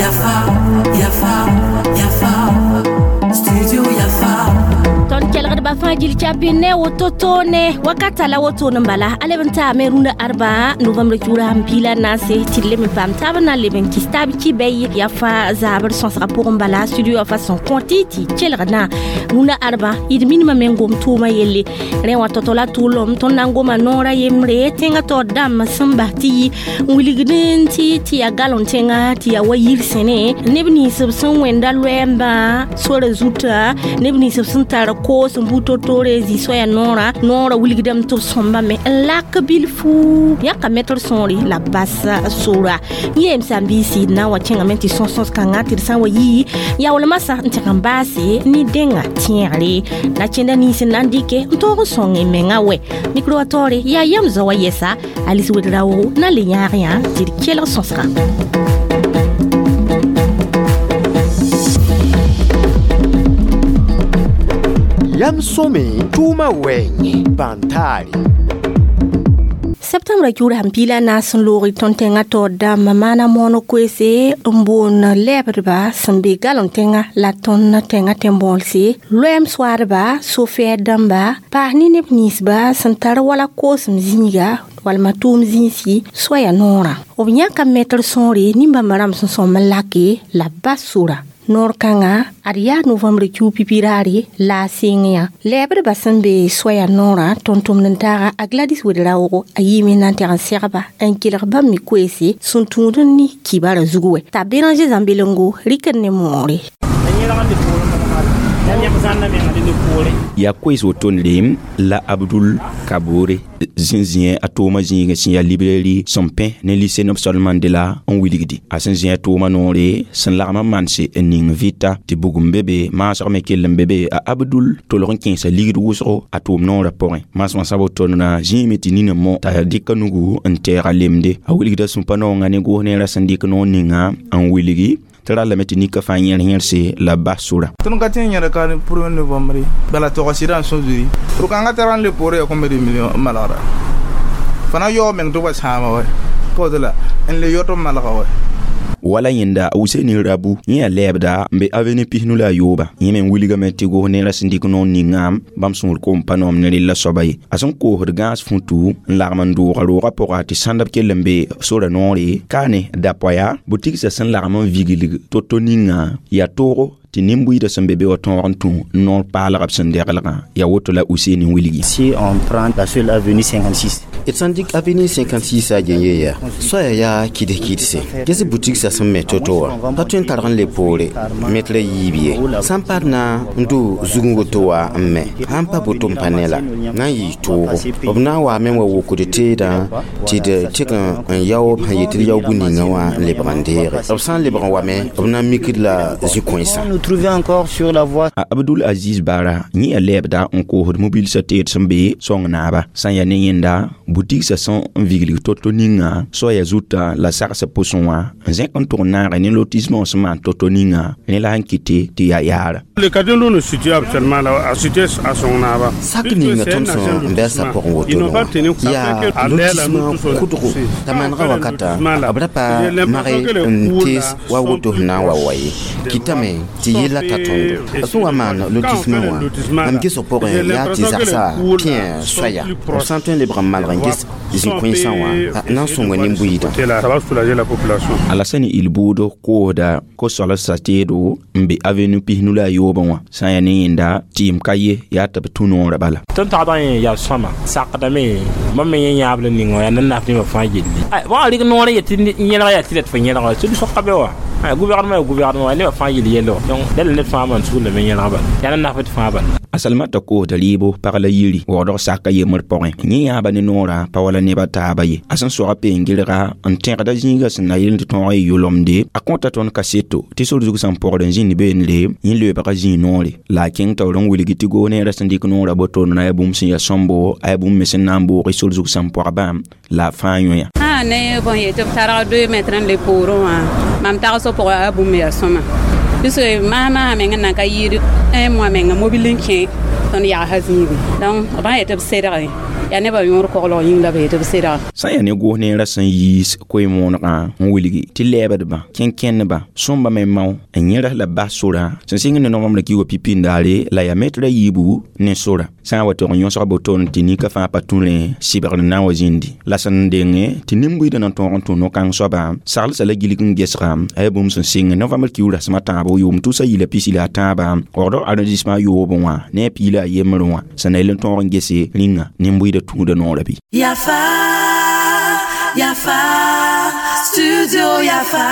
Yafa, Yafa, Yafa, Studio Yafa. Tõnd kelgdbã fãa gil chapi ne woto toone wakata la woto n bala a leb n taame rũndã arba novembre kiugra sẽn piila naase tɩ d leb n paam taab n na n leb n kis taab ki bɛy yaa fãa zabr sõsgã pʋgẽ bala studio fa sẽn kõ tɩ tɩ kelgdã rũndã arba d minimã me n gom tʋʋmã yelle rẽ wã tɔ-tɔ la tʋʋlem tõnd na n goma noorã yembre tẽngã taoor dãmb sẽn bas tɩ yi n wilgd tɩ yaa galon tẽnga tɩ yaa wa yir sẽne neb nins b sẽn wẽnda loɛɛmbã sora zutã neb nins b sẽn tar koos n bu to-toore n zĩ soaya noorã noorã wilgdame tɩ b sõmbame n lak bilfu yãka metr sõore la bas sora yẽ m sã-n-biisi d na n wa kẽngame tɩ sõs-sõs kãngã tɩ d sã n wa yi yaool masã n tẽg n baase ne dẽnga tẽegre la kẽnda nins n na n dɩke n tõog n sõng y mengã wɛ mikro wa taoore yaa yam zao wa yɛsa Alice Ouedraogo na n le yãag yã tɩ d kelg sõsgã. Yam sõme tʋʋmã wɛɛngẽ bãn-taare. Septembre kiugra sẽn piila naas n loog tõnd tẽngã taoor dãmbã maana mooneg koeese n boond lɛɛbdba sẽn be galon tẽngã la tõnd tẽngã tẽn-bõolse loɛɛm soaadba sofɛɛd dãmba paas ne neb ninsba sẽn tar wala koosem zĩiga walma tʋʋm zĩisi soaya noorã b yãka metr sõore nin-bãmba rãmb sẽn sõm n lake la bas sora noor kãngã ad yaa novembre kiu pipi raare la a seng yã lɛɛbdbã sẽn be soaya noorã tõnd-tʋmd n taaga a Gladys Ouedraogo a yiime na n tɛg n segba n kelg bãmb me koeese sẽn tũud n ne kibara zug wɛ t'a Béranger Zãmbelengo rɩkd ne moore. Yaa koees woto-ne la Abdul Kabore zĩ-zĩɛ a tʋʋmã zĩigẽ sẽn yaa librairie sẽn pẽ ne lycée Nelson Mandela n wilgdi a sẽn zĩ a tʋʋmã noore sẽn lagm n manse n ning vɩta tɩ bugum be be maasg me kell n be be a Abdul tolg n kẽesa ligd wʋsgo a tʋʋm noorã pʋgẽ maasmã sã wotonna zĩime tɩ nina mo t'a dɩka nugu n tɛɛga lemde a wilgda sũpa noongã ne goos neerã sẽn dɩk noor ninga n wilgi tɩ rallame tɩ nika fãa yẽr yẽrse la bas sora. Tõnd ka tẽ n yẽd ka premier novembre bala tɔga sɩdã n sõ zuri rʋkãngã tara n le poorẽ ya combien de million n malgra fãa na yaoog meng tɩ wa sãama wɛ pa la n le yɔ tɩ b malga wɛ. Wala yẽnda Useni Rabu yẽ yaa lɛɛbda n be avenue pisnu la a yooba yẽ me n wilgame tɩ gos neerã sẽn dɩk noor ninga bãmb sũur koom pa noom ne rella soaba ye a sẽn koosd gãas futu n lagm n dʋʋga roogã pʋga tɩ sãndb kell n be sora noore kaane dapoaya butigsã sẽn lagm n viglg to-to ninga yaa toogo tɩ nin-buiidã sẽn be be wa tõog n tũ noor paalgb sẽn deglgã yaa woto la Useni n wilgi. Si on prend la seule avenue 56 d sãn dɩk avenue 56 a gẽ ye yaa soaya yaa kɩds-kɩdse ges butigsã sẽn me to-to wã pa tõe n targ n le poore metra yiib ye sã n paad na n dʋ zugẽ woto wã n me sãn pa boto n pa ne la na n yɩɩ toogo b na n waame n wa wokd teedã tɩ d tɩg n yao b sẽn yet tɩ d yao bũ-ningã wã n lebg n deege b sã n lebg n wame b na n mikd la zĩ-kõensã. Trouver encore sur la voie. A Abdul Aziz Bara yẽ yaa lɛɛbda n koosd mobilsã teed sẽn be sõng naaba sã n yaa ne yẽnda butigsã sẽn n viglg to-to ninga soaya zuta la sagsã pʋsẽ wã n zẽk n tʋg n naage ne lotissement sẽn maan to-to ninga rẽ la sẽn kɩte tɩ yaa yaara. Le quartier où nous situons actuellement là, a situé à son naba. Sak ninga tõnd sẽn n bɛsa pʋgẽ woto yaa lotissement kʋdgo t'a manega wakata b ra pa mage n tees wa woto sẽn na n wa wa ye kɩtame tɩ yella ta tõndo a sẽn wa maan lotissement wã mam gesg pʋgẽ yaa tɩ zagsa pẽ soaya b sã n tõe n lebg n malg n ges zĩ-kõensã wã na n sõnga nin-buiidã. Alasani Ilbuudo koosda ko-soalsã teedo n be avenue pisnu la a yoobẽ wã sã n yaa ne yẽnda tɩɩm ka ye yaa tɩ b tũ noorã bala. Tõnd tagdã yẽ yaa sõma sakdame bãmb me yẽ yãab la ninga wã yaa nannaaf nebã fãa yelle bõa rɩk noorã yetɩ yẽlga yaa tɩ la tɩ fo yẽlga sũd soka be wa gouvernement ya gouvernement nebã fãa yel yɛllo donc dala ned fãa maan sugl lame yẽlga bala yaa nannaaf tɩ fãa bala. A Salmata koosda rɩɩbo pag la yiri waoodg saka yembr pʋgẽ yẽ yãaba ne noorã pa wala nebã taaba ye a sẽn soga peen-gɩrga n tẽgda zĩigã sẽn na yel tɩ tõog y yʋlemde a kõta tõnd kaseto tɩ sor zug sẽn pɔgd n zĩnd beende yẽ leoobga zĩig noore la a kẽng taoor n wilgi tɩ goos neerã sẽn dɩk noorã botoor na ya bũmb sẽn yaa sõmbo a yaa bũmb me sẽn na n boog sor zug sẽn pɔgbã la a fãa yõe. Ne bõn yetɩ b targ 2 mètres n le poorẽ wã mam tagsg pʋgã a bũmb yaa sõma puisque maasã meng n nan ka yɩɩd un mois menga mobil n kẽ tõnd yagsã zĩigẽ donc b sã n yetɩ b sedge Yaa nebã yõor koglg yĩng la b yetɩ b sedga. Sã n yaa ne goos neerã sẽn yiis koe-moonegã n wilgi tɩ lɛɛbdbã, kẽn-kẽndbã, sõmba me mao n yẽrs la bas sorã sẽn sɩng ne novembre kiuugã pipi-ndaare la yaa metra yiibu ne sora. Sã n wa tog n yõsg botone tɩ nika fãa pa tũ rẽ sɩbgr n na n wa zĩndi la sẽn denge tɩ nin-buiidã na n tõog n tũ no-kãng soaba saglsa la gilg n gesga a yaa bũmb sẽn sɩng novembre kiuug rasem a tãabo yʋʋm tʋsa yila pisi la a tãaba waoodg arrondissement yoobẽ wã ne a piila a yembrẽ wã sẽn na yel n tõog n gese rĩnga nin-buiidã tũuda noorã bɩ. Yafa, Yafa, Studio Yafa.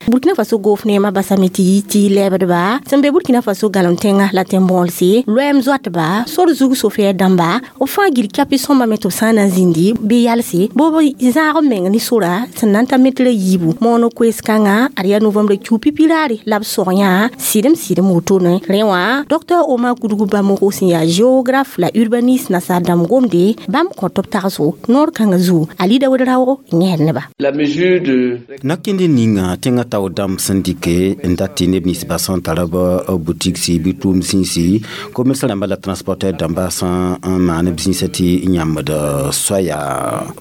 Burkina Faso goof neemã basame tɩ yi tɩ lɛɛbdba sẽn be Burkina Faso gãlem tẽngã la tẽn-bõolse loɛɛm zoatba sor zug sofɛɛr dãmba b fãa gil kapi sõmbame tɩ b sã n na n zĩndi bɩ yalse bɩ b zãag b meng ne sora sẽn na n ta metra yiibu mooneg koees-kãngã ad yaa novembre kiu pipi raare la b sog yã sɩdem wotone rẽ wã Dr Omar Kudgu Bamoko sẽn yaa géographe la urbaniste nasaar dãmb gomde bãmb kõ tɩ b tagsgo noor kãngã zugu Alida Wed-raoogo yẽsd neba. La mesure de Nakẽnd ninga tẽngã tao dãmb sẽn dɩke n dat tɩ neb ninsbã sẽn tara b boutique bɩ tʋʋm zĩisi commerce rãmba la transporteur dãmba sẽn n maan b zĩisã tɩ yãmbd soaya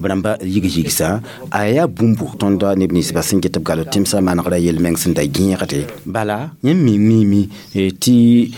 b rãmba yig-yigsã a yaa bũmbu tõnd neb ninsbã sẽn get b gal tẽmsã manegrã yel-meng sẽn da gẽegde bala yẽmb me miime tɩ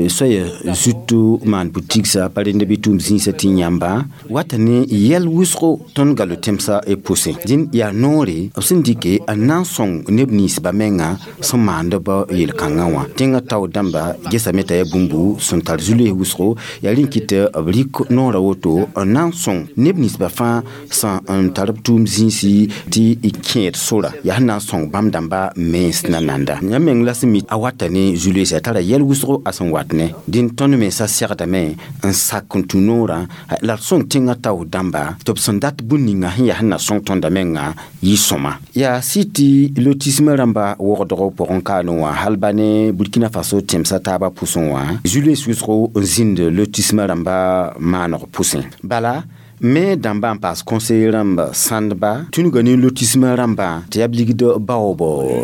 soaya zut maan boutique pa rende bɩ tʋʋm zĩisã tɩ yãmba wata ne yɛl wʋsgo tõnd galo tẽmsã pʋsẽ dĩn yaa noore b sẽn dɩke n na n sõng neb ninsbã menga sẽn maand b yel-kãngã wã tẽngã tao dãmba gesame t'a yaa bũmbu sẽn tar zu-loees wʋsgo yaa rẽ kɩt b rɩk noorã woto n na n sõng neb ninsbã fãa sẽn n tar b tʋʋm zĩisi tɩ y kẽed sora yaa sẽn na n sõng bãmb dãmba mens na nanda yãmb meng la sẽn mi a wata ne zu-loeesã tara yɛl wʋsgo a sẽn wat ne dĩn tõnd mensã segdame n sak n tũ noorã la d sõng tẽngã tao dãmba tɩ b sẽn dat bũn ninga sẽn yaa sẽn na sõng tõnda menga yɩ sõma yaa sɩ tɩ lotisme rãmba wogdg pʋgẽ kaane wã hal ba ne Burkina Faso tẽmsã taabã pʋsẽ wã zu-loees wʋsgo n zĩnd lotisme rãmba maaneg pʋsẽ bala me dãmba n paas conseiller rãmba sãndba tũnuga ne lotisme rãmbã tɩ yaa b ligd baoob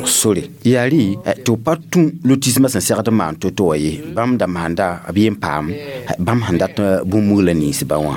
sore yaa rɩ tɩ b pa tũ lotismã sẽn segd n maan to-to wã ye bãmb da maanda b yen paam bãmb sẽn dat bũmb-mugla ninsbã wã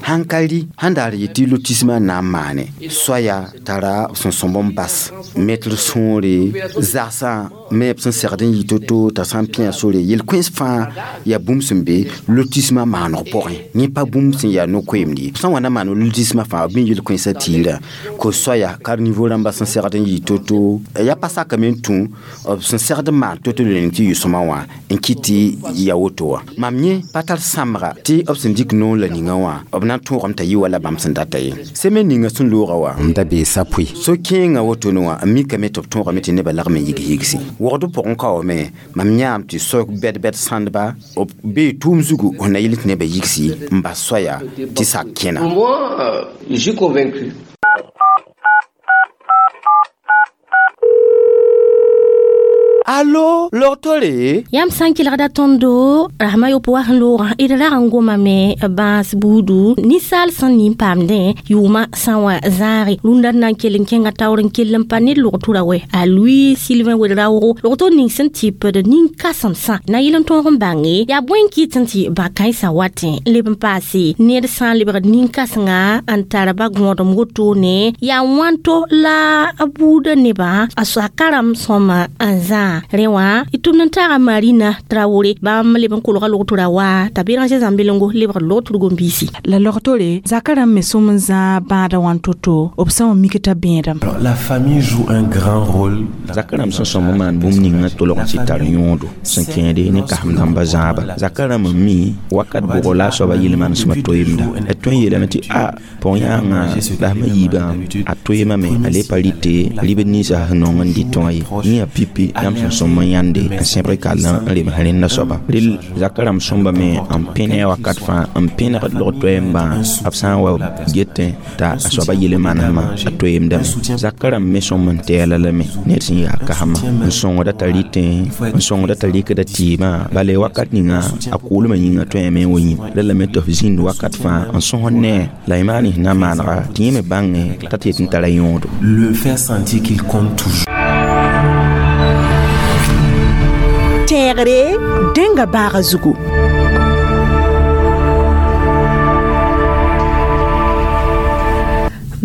sãn ka rɩ sẽn daar yetɩ lotismã na n maane soaya tara b sẽn sõmb n bas metr sõore zagsã me b sẽn segd n yɩ to-to t'a sã n pĩa sore yel-kõens fãa yaa bũmb sẽn be lotismã maaneg pʋgẽ yẽ pa bũmb sẽn yaa no-koeemd ye sã n wa na maan lotismã fãa b me yel-kõensã tiirã ko soaya carniveau rãmba sẽn segd n yɩ to-to yaa pa sakame n tũ b sẽn segd n maan to-to la ning tɩ yɩ sõma wã n kɩt tɩ ya woto wã mam yẽ pa tar sãmbga tɩ b sẽn dɩk noor la ninga wã b na n tõogame t'a yɩ wala bãmb sẽn data ye semaine ninga sẽn looga wã m da bee sapʋɩ so-kẽengã wotone wã n mikame tɩ b tõogame tɩ nebã lagm n yig-yigse wogd pʋgẽ kaoome mam yãam tɩ so bɛd-bɛd sãndba b bee tʋʋm zugu sẽn na yɩl tɩ nebã yigsi n bas soaya tɩ sak kẽna. Pour moi, je suis convaincu. Allo, logtore Yãmb sã n kelgda tõndo rasmã yopoe wa sẽn loogã d rag n gomame bãas buudu ninsaal sẽn nin paamdẽ yʋʋmã sã n wa zãage rũndã d na n kell n kẽnga taoor n kell n pa ned logtura wɛ a Louis Sylvain Ouedraogo logto ning sẽn tɩpd nin-kãsemsã na yɩl n tõog n bãnge yaa bõe n kɩt n tɩ ba-kãensã watẽ n leb n paase ned sã n lebgd nin-kãsenga n tar ba gõodem wotone yaa wãnto la a buudã nebã a soa-karem sõma n zãa rẽ wã y tʋmd n taaga Marina Traoré bãmb leb n kolga logtra wa t'a Béranger Zãmbelengo lebg logtr gom-biisi. La logtore zaka rãmb me sõm n zãa bãadã wãn to-to b sã n wa mik t'a bẽedame. La famille joue un grand rôle. Zaka rãmb sẽn sõm n maan bũmb ninga tolg n tɩ tar yõodo sẽn kẽede ne kasem dãmba zãaba zaka rãmb n mi wakat bʋgo la a soaba yel-manesmã toeemda a tõe n yeelame tɩ a pɔg-yãangã la sẽm yiibã a toeemame a le pa rɩte ribd ninsã sẽn nong n dɩtẽ wã ye yẽ yaa pipi yãmb sẽn sõm n yãnde n sẽbg kall n rems rẽnda soaba rel zaka rãmb sõmbame n pẽne wakat fãa n pẽnegd log-toɛɛmbã b sã n wa getẽ t'a a soaba yel-manesmã a toeemdame zaka rãmb me sõm n tɛɛla lame ned sẽn yaa kasma n sõngda t'a rɩtẽ n sõngda t'a rɩkda tɩɩmã bala wakat ninga a kʋʋlmã yĩnga tõeme n wa yĩm la lame tɩ f zĩnd wakat fãa n sõs ne la y maan sẽn na n maanega tɩ yẽ me bãngẽ t'a tɩ yet n tara yõodo. Le faire sentir qu'il compte toujours. Tẽegre dẽnga baaga zugu.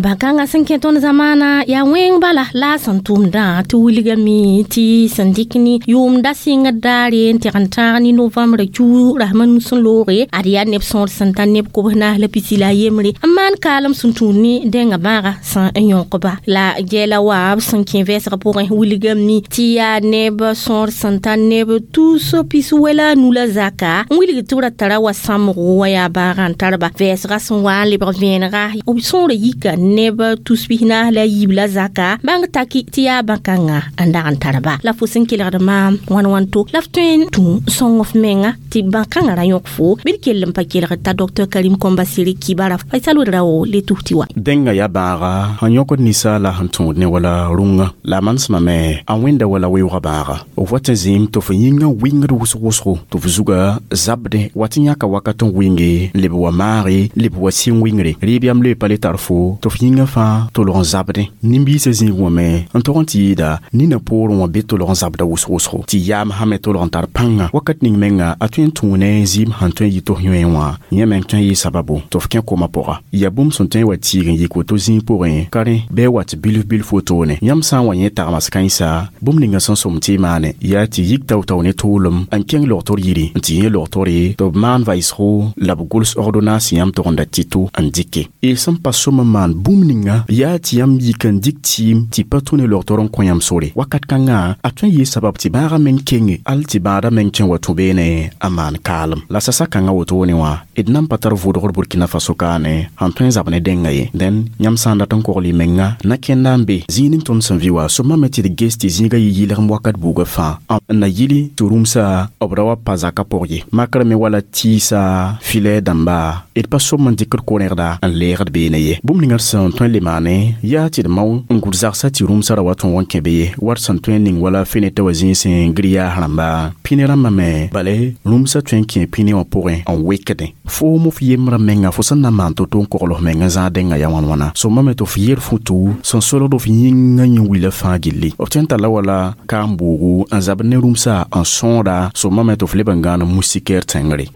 Bãn-kãngã sẽn kẽ tõnd zamaana yaa wẽng bala la a sẽn tʋmdã tɩ wilgame tɩ sẽn dɩk ne yʋʋmda sɩngd daare n tɩg n tãag ne novembre kiu rasma nu sẽn looge ad yaa neb sõor sẽn ta neb kobs naas la pisi la a yembre n maan kaalem sẽn tũud ne dẽnga bãaga sẽn n yõkba la gɛɛla wa b sẽn kẽ vɛɛsg pʋgẽ wilgame tɩ yaa neb sõor sẽn ta neb tus pis wɛla a nu la zaka n wilg tɩ b ra tara wa sãmbgo wa yaa bãagã n tarba vɛɛsga sẽn wa n lebg vẽenega b sõora yika neb tus pis-naas la yiib la zaka bãng taki tɩ yaa bãn-kãngã n dag n tarba la fo sẽn kelgd maam wãn wãnto la f tõe n tũ sõng f menga tɩ bãn-kãngã ra yõk fo bɩ d kell n pa kelgd t'a Dr Karim Kɔmbasiri kibara Faisal Ouedraogo le tus tɩ wa. Dẽnga yaa bãaga sẽn yõkd ninsaala sẽn tũud ne wala rũngã la a manesmã me a wẽnda wala weoogã bãaga f wat n zĩim tɩ f yĩngã wɩngd wʋsg-wʋsgo tɩ f zuga zabdẽ wat n yãka wakat n wɩnge n leb wa maage leb wa sɩng wɩngre rɩɩb yam le pa le tar fo tɩ f yĩngã fãa tolg n zabdẽ nin-biisã zĩig wã me n tog n tɩ yɩɩda nina poorẽ wã be tolg n zabda wʋsg-wʋsgo tɩ yaam sã me tolg n tar pãnga wakat ning menga a tõe n tũu ne zɩɩm sẽn tõe n yɩ tɩ f yõe wã yẽ meng tõe n yɩ sababu tɩ f kẽ koma pʋga ya bũmb sẽn tõe n wa tiig n yik woto zĩig pʋgẽ ka rẽ bɩ wat bilf bilf wotone yãmb sã n wa yẽ tagmas kãensa bũmb ninga sẽn sõm tɩ y maane yaa tɩ yik tao-tao ne tʋʋlem n kẽng logtr yiri n tɩ yẽ logtore tɩ b maan vaɩsgo la b gʋls ordonnance yãmb togenda tɩto n dɩke y sẽn pa sõm n maan bũmb ninga yaa tɩ yãmb yik n dɩk tɩɩm tɩ pa tũ ne logtr n kõ yãmb sore wakat kãngã a tõe n yɩ sabab tɩ bãagã meng kenge al tɩ bãadã meng tõe n wa tũ beene a maan kaalem la sasa kãngã wotone wã d nan pa tar vʋʋdgr Burkina Faso kaane sẽn tõe n zab ne dẽnga ye dẽn yãmb sã n dat n kogl y menga na-kẽnda n be zĩig ning tõnd sẽn vɩ wa sõma me tɩ d ges tɩ zĩigã yɩ yɩlgem wakat buugã fãa n na yili tɩ rũmsa b ra wa pa zakã pʋg ye makr me wala tɩɩsa filɛ dãmba d pa sõm n dɩkd ko-rẽgda n leegd beene ye bũmb ninga d sẽn tõe n le maane yaa tɩ d mao n gʋd zagsã tɩ rũmsã ra wa tõog n kẽ be ye wat sẽn tõe n ning wala fenetã wa zĩig grillage rãmba pĩne rãmbã me bale rũmsã tõe n kẽ pĩne wã pʋgẽ n wekdẽ foom f yembrã menga fo sẽn na n maan to-to n kogl f meng n zãag dẽngã ya wãn-wãna sõma me tɩ f yer futu sẽn solgd f yĩngã yẽ wila fãa gilli f tõe n talla wala kaam-boogu n zabd ne rũmsã n sõoda sõma me tɩ f leb n gãan moustiquaire tẽngre.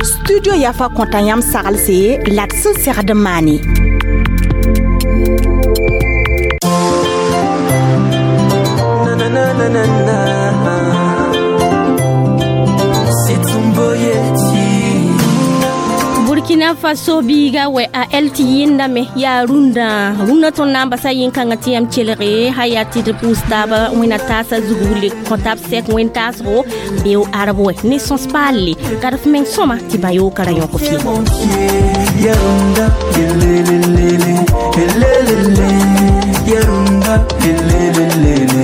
Studio Yafa kõta yãmb saglse la d sẽn segd n maane. Burkina Faso biiga wɛ a el tɩ yẽndame yaa rũndã rũndã tõnd na n basa yẽn-kãngã tɩ yãmb kelge sã yaa tɩ d pʋʋs taaba wẽna taasã zugu le kõ tab sɛk wẽn-taasgo beo arb wɛ ne sõs paalle ka d f meng sõma tɩ bã-yoogã ra yõk fɩ. Yarunda, lelelelele, lelelele, yarunda, lelelelele.